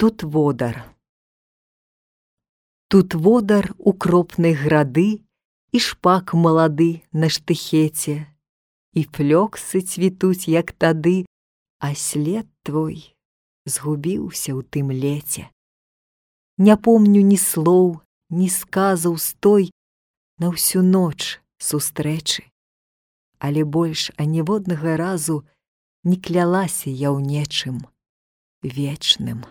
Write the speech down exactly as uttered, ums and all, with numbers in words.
Тут водар. Тут водар укропнай грады, і шпак малады на штыхеце, і флёксы цвітуць, як тады, а след твой згубіўся ў тым леце. Не помню ні слоў, ні сказаў з той на ўсю ноч сустрэчы, але больш аніводнага разу не клялася я ў нечым вечным.